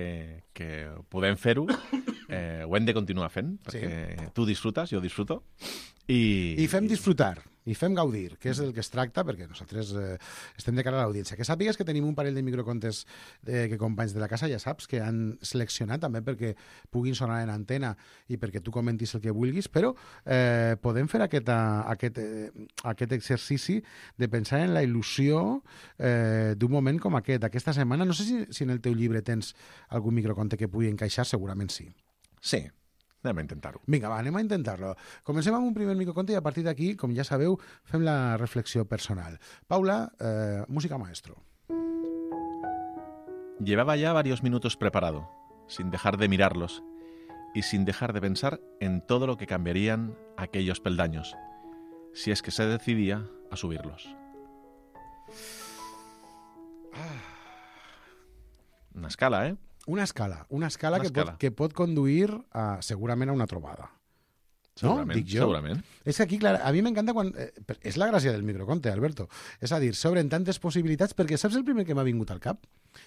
que podem fer-ho, eh, ho hem de continuar fent, perquè tu disfrutes, jo disfruto. I, I fem disfrutar, i fem gaudir, que és del que es tracta, perquè nosaltres eh, estem de cara a l'audiència. Que sàpigues que tenim un parell de microcontes eh, que companys de la casa, ja saps, que han seleccionat també perquè puguin sonar en antena i perquè tu comentis el que vulguis, però eh, podem fer aquest, uh, aquest, eh, aquest exercici de pensar en la il·lusió eh, d'un moment com aquest, d'aquesta setmana. No sé si, si en el teu llibre tens algun microconte que pugui encaixar, segurament sí. Sí, anem a intentar-ho. Vinga, va, anem a intentar-lo. Comencem amb un primer microconte i a partir d'aquí, com ja sabeu, fem la reflexió personal. Paula, eh, música maestro. Llevaba ya varios minutos preparado, sin dejar de mirarlos y sin dejar de pensar en todo lo que cambiarían aquellos peldaños, si es que se decidía a subirlos. Una escala, ¿eh? Una escala, una escala, Una que, escala. Pot, que pot conduir a, segurament a una trobada. No? Segurament, Dic jo. segurament. És que aquí, clar, a mi m'encanta quan... Eh, per- és la gràcia del microconte, Alberto. És a dir, s'obren tantes possibilitats, perquè saps el primer que m'ha vingut al cap?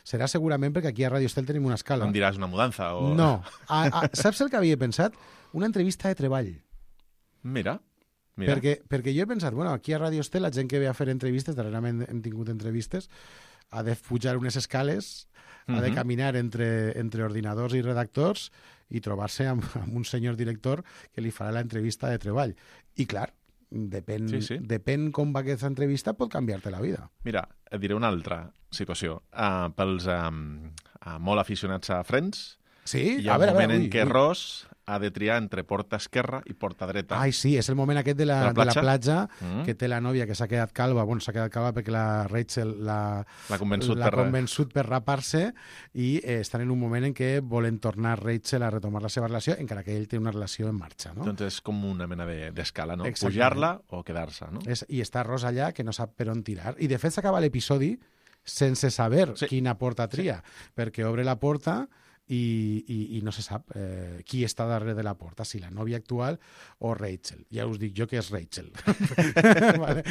Serà segurament perquè aquí a Radio Estel tenim una escala. Em diràs una mudança o... No. A, a, saps el que havia pensat? Una entrevista de treball. Mira, mira. Perquè, perquè jo he pensat, bueno, aquí a Radio Estel la gent que ve a fer entrevistes, darrerament hem tingut entrevistes, ha de pujar unes escales, ha de Mhm. caminar entre, entre ordinadors i redactors i trobar-se amb, amb un senyor director que li farà l'entrevista de treball. I clar, depèn, Sí, sí. depèn com va aquesta entrevista, pot canviar-te la vida. Mira, et diré una altra situació. Uh, pels um, uh, molt aficionats a Friends, Sí? hi ha a veure, un a veure, moment ui, en què ui. Ross ha de triar entre porta esquerra i porta dreta. Ai, sí, és el moment aquest de la, De la de la platja. platja, Mm. que té la nòvia que s'ha quedat calva, bueno, s'ha quedat calva perquè la Rachel la, L'ha convençut l'ha per... convençut per rapar-se i eh, estan en un moment en què volen tornar Rachel a retomar la seva relació, encara que ell té una relació en marxa, no? Doncs és com una mena de- d'escala, no? Exactament. Pujar-la o quedar-se, no? És, I està Ross allà que no sap per on tirar. I de fet s'acaba l'episodi sense saber Sí. quina porta tria, perquè obre la porta i, i, i no se sap eh, qui està darrere de la porta, si la nòvia actual o Rachel. Ja us dic jo que és Rachel. vale?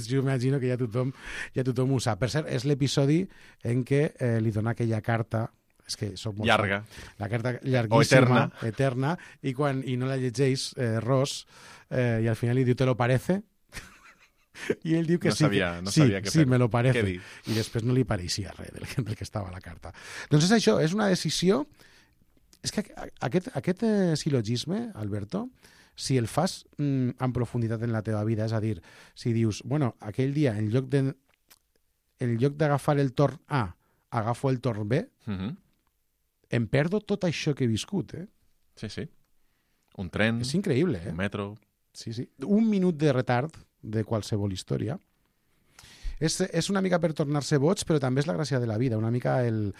Jo imagino que ja tothom, ja tothom ho sap. Per cert, és l'episodi en què eh, li dona aquella carta és que soc molt Llarga. fan. La carta llarguíssima, eterna. eterna, i quan i no la llegeix eh, Ross, eh, i al final li diu, ¿te lo parece? I ell diu que No sí, sabia- que, no sí, sabia què sí, fer. me lo parece. Què dir? I després no li pareixia res del, que- del que estava a la carta. Doncs és això, és una decisió... És que aquest, aquest eh, silogisme, Alberto, si el fas mm, en profunditat en la teva vida, és a dir, si dius, bueno, aquell dia, en lloc de en lloc d'agafar el torn A, agafo el torn B, Mhm. em perdo tot això que he viscut, eh? Sí, sí. Un tren, És increïble, eh? un metro... Sí, sí. Un minut de retard de qualsevol història. És, és una mica per tornar-se boig, però també és la gràcia de la vida. Una mica el...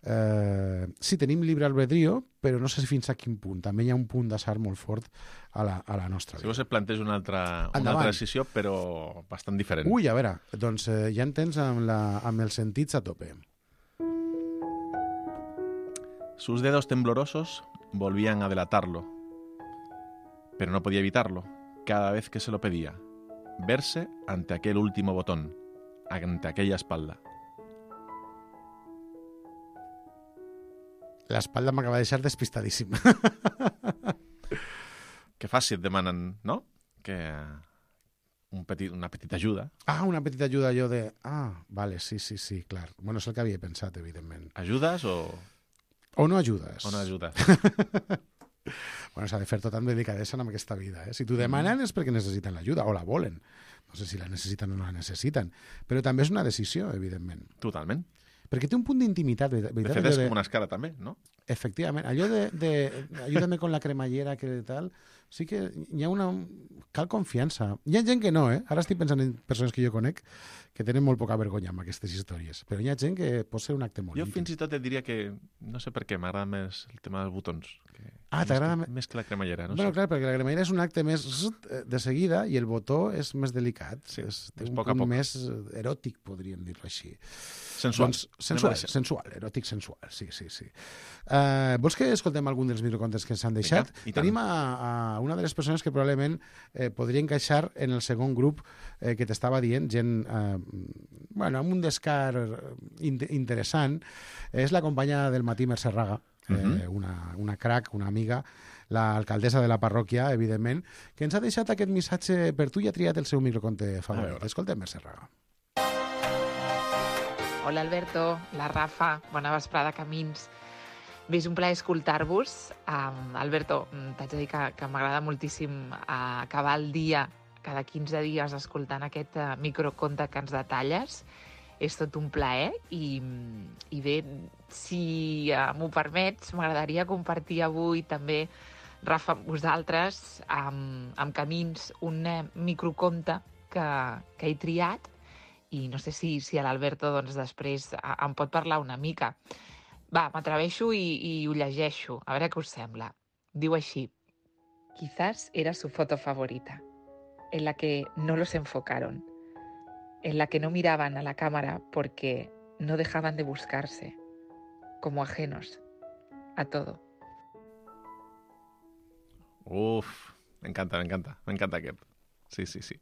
Eh, sí, tenim llibre albedrío, però no sé si fins a quin punt. També hi ha un punt d'assar molt fort a la, a la nostra Si vida. vos et planteja una altra, una Endavant. altra decisió, però bastant diferent. Ui, a veure, doncs eh, ja en tens amb, la, amb els sentits a tope. Sus dedos temblorosos volvían a delatarlo, pero no podía evitarlo, cada vez que se lo pedía, verse ante aquel último botón, ante aquella espalda. L'espalda m'acaba de deixar despistadíssim. Que faci, et demanen, no? Que un petit, una petita ajuda. Ah, una petita ajuda jo de... Ah, vale, sí, sí, sí, clar. Bueno, és el que havia pensat, evidentment. Ajudes o, O no ajudes. o no ajudes? Bueno, s'ha de fer tot amb delicadesa en aquesta vida. Eh? Si t'ho demanen és perquè necessiten l'ajuda, o la volen. No sé si la necessiten o no la necessiten. Però també és una decisió, evidentment. Totalment. Perquè té un punt d'intimitat. De veritat, fet, allò és de- com una escala també, no? Efectivament. Allò de, de ayúdame con la cremallera, que tal... Sí que hi ha una... Cal confiança. Hi ha gent que no, eh? Ara estic pensant en persones que jo conec que tenen molt poca vergonya amb aquestes històries. Però hi ha gent que pot ser un acte molt Jo íntim. fins i tot et diria que, no sé per què, m'agrada més el tema dels botons. Que, Ah, t'agrada més, me- que, més que la cremallera, no Bueno, sé. clar, perquè la cremallera és un acte més zzzt, eh, de seguida i el botó és més delicat. Sí, és, té és un poc a punt poc. més eh, eròtic, podríem dir-ho així. Sensual. Doncs, sensual, Anem a deixar. sensual, eròtic sensual, sí, sí, sí. Uh, vols que escoltem algun dels microcontes que s'han deixat? Vinga, i tant. Tenim a, a una de les persones que probablement eh, podria encaixar en el segon grup eh, que t'estava dient, gent eh, bueno, amb un descar in interessant. És la companya del matí, Mercè Raga, eh, Mhm. una, una crac, una amiga, l'alcaldessa de la parròquia, evidentment, que ens ha deixat aquest missatge per tu i ha triat el seu microconte favorit. veure. Escoltem, Mercè Raga. Hola Alberto, la Rafa, bona vesprada, Camins. Bé, és un plaer escoltar-vos. Um, Alberto, mm, t'haig de dir que, que m'agrada moltíssim uh, acabar el dia cada quinze dies escoltant aquest uh, microconte que ens detalles. És tot un plaer i, i bé, si uh, m'ho permets, m'agradaria compartir avui també, Rafa, amb vosaltres, amb, amb Camins, un uh, microconte que, que he triat i no sé si, si l'Alberto doncs, després eh, em pot parlar una mica. Va, m'atreveixo i, i ho llegeixo, a veure què us sembla. Diu així: Quizás era su foto favorita, en la que no los enfocaron, en la que no miraban a la cámara porque no dejaban de buscarse, como ajenos a todo. Uf, m'encanta, m'encanta, m'encanta aquest. Sí, sí, sí.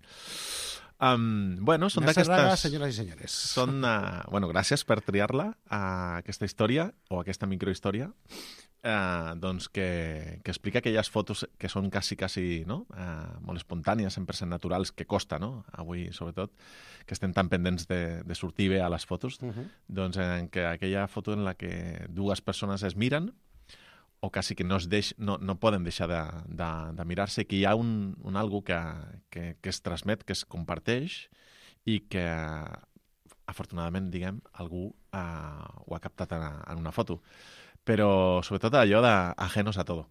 Um, bueno, són Mercè Raga, d'aquestes... senyores i senyores. Són, uh, bueno, gràcies per triar-la, uh, aquesta història, o aquesta microhistòria, uh, doncs que, que explica aquelles fotos que són quasi, quasi, no? Uh, molt espontànies, cent per cent naturals, que costa, no? Avui, sobretot, que estem tan pendents de, de sortir bé a les fotos, uh -huh. doncs en que aquella foto en la que dues persones es miren, o quasi que no, es deix, no, no poden deixar de, de, de mirar-se, que hi ha un, un algo que, que, que es transmet, que es comparteix i que, afortunadament, diguem, algú uh, ho ha captat en, en una foto. Però, sobretot, allò d'ajenos a todo.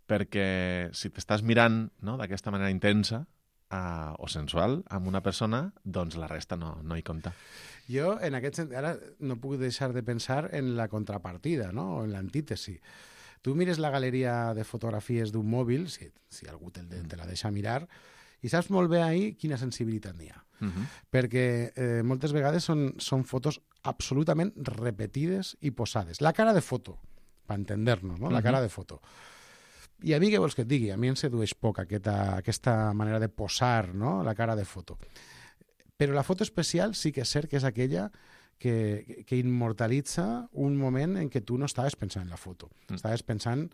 Perquè si t'estàs mirant, no?, d'aquesta manera intensa uh, o sensual amb una persona, doncs la resta no, no hi compta. Jo, en aquest sentit, ara no puc deixar de pensar en la contrapartida, no?, o en l'antítesi. Tu mires la galeria de fotografies d'un mòbil, si, si algú te, te la deixa mirar, i saps molt bé ahir quina sensibilitat n'hi ha. Uh -huh. Perquè eh, moltes vegades són, són fotos absolutament repetides i posades. La cara de foto, per entender-nos, no? La cara de foto. I a mi què vols que et digui? A mi em sedueix poc aquesta, aquesta manera de posar, no?, la cara de foto. Però la foto especial sí que és cert que és aquella que, que immortalitza un moment en què tu no estaves pensant en la foto. Mm. Estaves pensant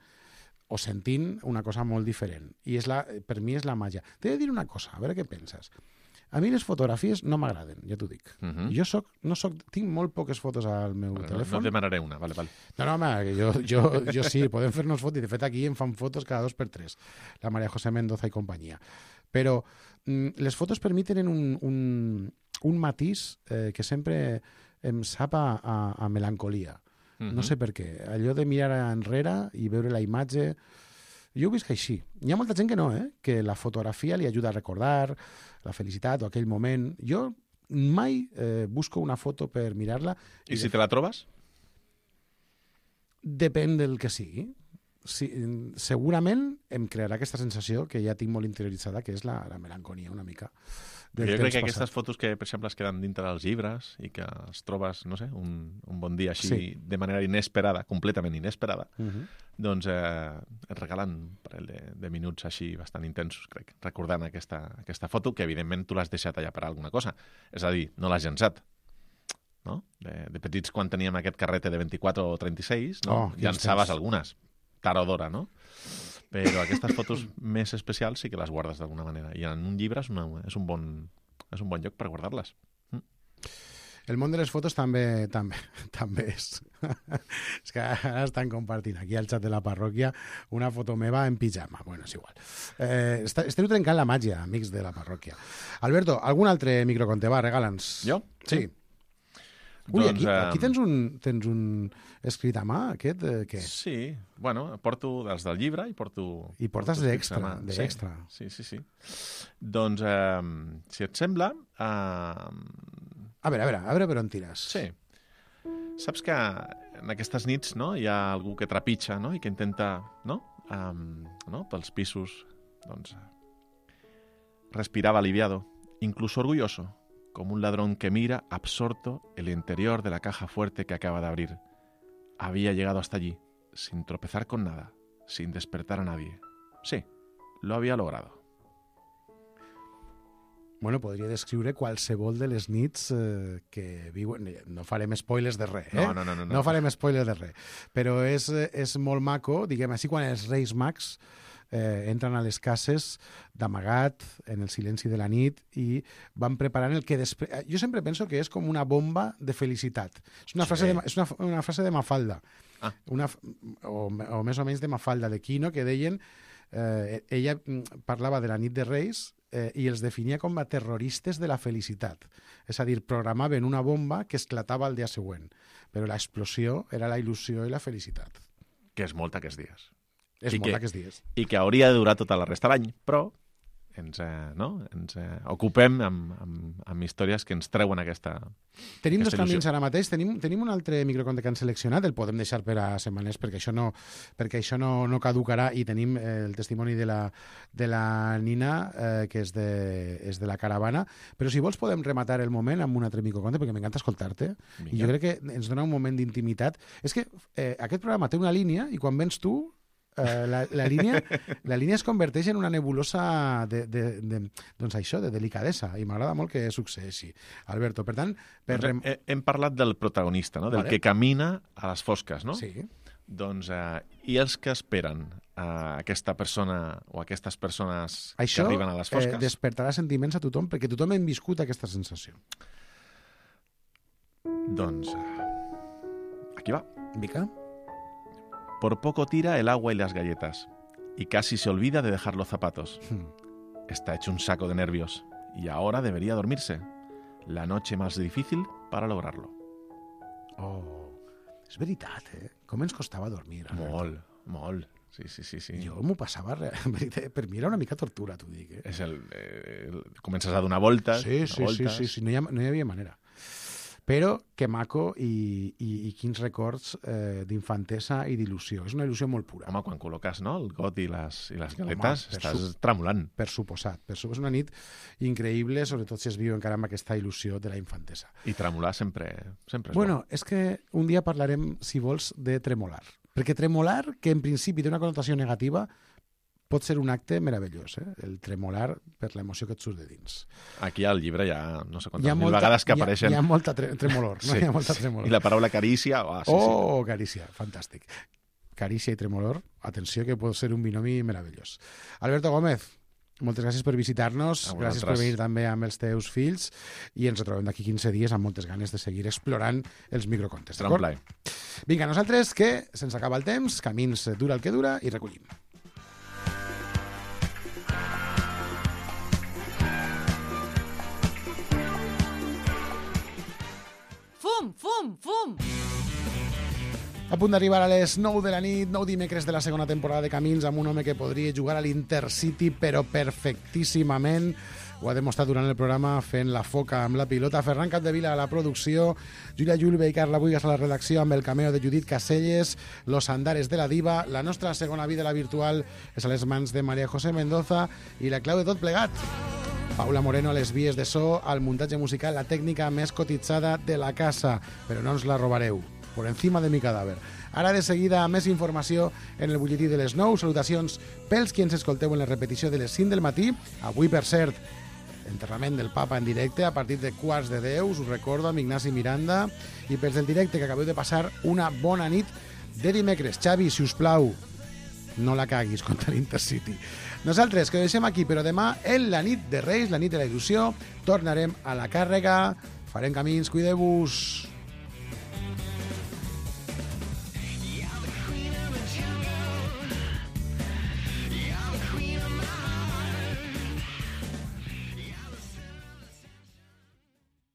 o sentint una cosa molt diferent. I és la, per mi és la màgia. T'he de dir una cosa, a veure què penses. A mi les fotografies no m'agraden, ja t'ho dic. Uh -huh. Jo soc, no soc, tinc molt poques fotos al meu bueno, telèfon. No et demanaré una, vale, vale. No, no, home, jo, jo, jo sí, podem fer-nos fotos, i de fet aquí em fan fotos cada dos per tres, la María José Mendoza i companyia. Però mm, les fotos permiten un, un, un matís eh, que sempre em sap a, a, a melancolia. Uh -huh. No sé per què. Allò de mirar enrere i veure la imatge... Jo ho visc així. Hi ha molta gent que no, eh? Que la fotografia li ajuda a recordar la felicitat o aquell moment. Jo mai eh, busco una foto per mirar-la. I, I si te la trobes? Depèn del que sigui. Sí, segurament em crearà aquesta sensació que ja tinc molt interioritzada, que és la, la melancolia una mica. Jo crec que passat. Aquestes fotos que, per exemple, es queden dintre dels llibres i que es trobes, no sé, un, un bon dia així, sí. de manera inesperada, completament inesperada, uh -huh. doncs eh, et regalen un parell de, de minuts així bastant intensos, crec, recordant aquesta, aquesta foto, que evidentment tu l'has deixat allà per alguna cosa. És a dir, no l'has llançat. No? De, de petits, quan teníem aquest carrete de vint-i-quatre o trenta-sis, no? Oh, llançaves algunes, tard o d'hora, no? Però aquestes fotos més especials sí que les guardes d'alguna manera. I en un llibre és, una, és, un, bon, és un bon lloc per guardar-les. Mm. El món de les fotos també també, també és. És que ara estan compartint aquí al xat de la parròquia una foto meva en pijama. Bueno, és igual. Eh, esteu trencant la màgia, amics de la parròquia. Alberto, algun altre microconte? Va, regala'ns. Jo? Sí. sí. Ui, doncs, aquí, aquí tens un, tens un escrit a mà, aquest, eh, què? Sí, bueno, porto dels del llibre i porto... I portes d'extra, d'extra. Sí, sí, sí, sí. Doncs, eh, si et sembla... Eh... A veure, a veure, a veure per on tires. Sí. Saps que en aquestes nits, no, hi ha algú que trepitja, no?, i que intenta, no?, um, no? pels pisos, doncs... Respiraba aliviado, incluso orgulloso, como un ladrón que mira, absorto, el interior de la caja fuerte que acaba de abrir. Había llegado hasta allí, sin tropezar con nada, sin despertar a nadie. Sí, lo había logrado. Bueno, podria descriure qualsevol de les nits eh, que viuen... No farem spoilers de res, eh? No, no, no. No, no farem spoilers de res. Però és, és molt maco, diguem així, quan els Reis Mags eh, entren a les cases d'amagat, en el silenci de la nit, i van preparant el que després... Jo sempre penso que és com una bomba de felicitat. És una, sí. frase, de, és una, una frase de Mafalda, ah. una, o, o més o menys de Mafalda, de Quino, que deien... Eh, ella parlava de la nit de Reis eh, i els definia com a terroristes de la felicitat. És a dir, programaven una bomba que esclatava el dia següent, però l'explosió era la il·lusió i la felicitat. Que és molt aquests dies. És I molt que, aquests dies. I que hauria de durar tota la resta de l'any, però ens, eh, no? ens eh, ocupem amb, amb, amb històries que ens treuen aquesta Tenim aquesta dos camins il·lusió. ara mateix. Tenim, tenim un altre microconte que han seleccionat, el podem deixar per a setmanes perquè això no, perquè això no, no caducarà, i tenim eh, el testimoni de la, de la Nina, eh, que és de, és de la caravana. Però si vols podem rematar el moment amb un altre microconte, perquè m'encanta escoltar-te. Vinga. I jo crec que ens dona un moment d'intimitat. És que eh, aquest programa té una línia i quan vens tu Uh, la, la, línia, la línia es converteix en una nebulosa de, de, de, doncs això, de delicadesa, i m'agrada molt que succeeixi, Alberto. Per tant, per Doncs, rem... he, hem parlat del protagonista, no? Del Vale. que camina a les fosques, no? Sí. Doncs, eh, i els que esperen a aquesta persona o aquestes persones Això que arriben a les eh, fosques? despertarà sentiments a tothom, perquè tothom hem viscut aquesta sensació. Doncs, eh, aquí va. Mica? Por poco tira el agua y las galletas, y casi se olvida de dejar los zapatos. Hmm. Está hecho un saco de nervios, y ahora debería dormirse. La noche más difícil para lograrlo. Oh, és veritat, eh? Com ens costava dormir. Alberto. Molt, molt. Sí, sí, sí. sí. Jo m'ho passava, re- en veritat, per mi era una mica tortura, t'ho dic. Eh? És el, eh, el, comences a donar voltes, Sí, donar sí, sí, voltes. sí, sí, no hi, ha, no hi havia manera. Però que maco i, i, i quins records eh, d'infantesa i d'il·lusió. És una il·lusió molt pura. Home, quan col·loques, no?, el got i les, i les Home, galetes, per estàs su- tremolant. Per suposat. Per suposat. És una nit increïble, sobretot si es viu encara amb aquesta il·lusió de la infantesa. I tremolar sempre, sempre és Bueno, és que un dia parlarem, si vols, de tremolar. Perquè tremolar, que en principi té una connotació negativa, pot ser un acte meravellós, eh? El tremolar per l'emoció que et surt de dins. bo. Aquí al llibre hi ha no sé Hi quantes ha mil molta- vegades que hi ha- apareixen... Hi ha molta tre tremolor, no? Sí, Hi ha molta sí. tremolor. I la paraula carícia... Oh, sí, Oh, carícia, fantàstic. Carícia i tremolor, atenció, que pot ser un binomi meravellós. Alberto Gómez, moltes gràcies per visitar-nos, A gràcies per vosaltres. venir també amb els teus fills, i ens retrobem d'aquí quinze dies amb moltes ganes de seguir explorant els microcontes. Serà un d'acord? plaer. Vinga, nosaltres, que se'ns acaba el temps, camins dura el que dura, i recollim. Fum, fum, fum! A punt d'arribar a les nou de la nit, nou dimecres de la segona temporada de Camins, amb un home que podria jugar a l'Intercity, però perfectíssimament. Ho ha demostrat durant el programa fent la foca amb la pilota. Ferran Capdevila a la producció, Júlia Julve i Carla Buigas a la redacció amb el cameo de Judit Caselles, Los Andares de la Diva. La nostra segona vida, la virtual, és a les mans de María José Mendoza i la clau de tot plegat. Paula Moreno a les vies de so, al muntatge musical, la tècnica més cotitzada de la casa, però no ens la robareu. Por encima de mi cadàver. Ara de seguida més informació en el butlletí de les nou. Salutacions pels qui ens escolteu en la repetició de les cinc del matí. Avui, per cert, enterrament del papa en directe a partir de quarts de deu, us ho recordo, amb Ignasi Miranda. I pels del directe, que acabeu de passar una bona nit de dimecres. Xavi, si us plau, no la caguis contra l'Intercity. Nosaltres, que ho deixem aquí, però demà, en la nit de Reis, la nit de la il·lusió, tornarem a la càrrega, farem camins, cuideu-vos.